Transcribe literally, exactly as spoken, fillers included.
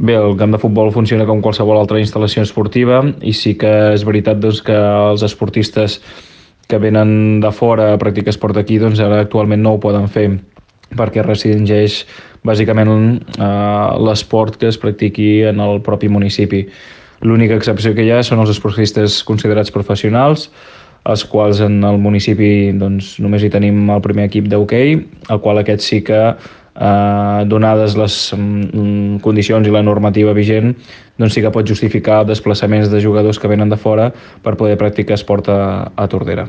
Bé, el camp de futbol funciona com qualsevol altra instal·lació esportiva i sí que és veritat doncs, que els esportistes que venen de fora a practicar esport aquí doncs ara actualment no ho poden fer perquè restringeix bàsicament eh, l'esport que es practiqui en el propi municipi. L'única excepció que hi ha són els esportistes considerats professionals, els quals en el municipi doncs, només hi tenim el primer equip d'hoquei, el qual aquest sí que, eh, donades les mm, condicions i la normativa vigent, doncs sí que pot justificar desplaçaments de jugadors que venen de fora per poder practicar esport a, a Tordera.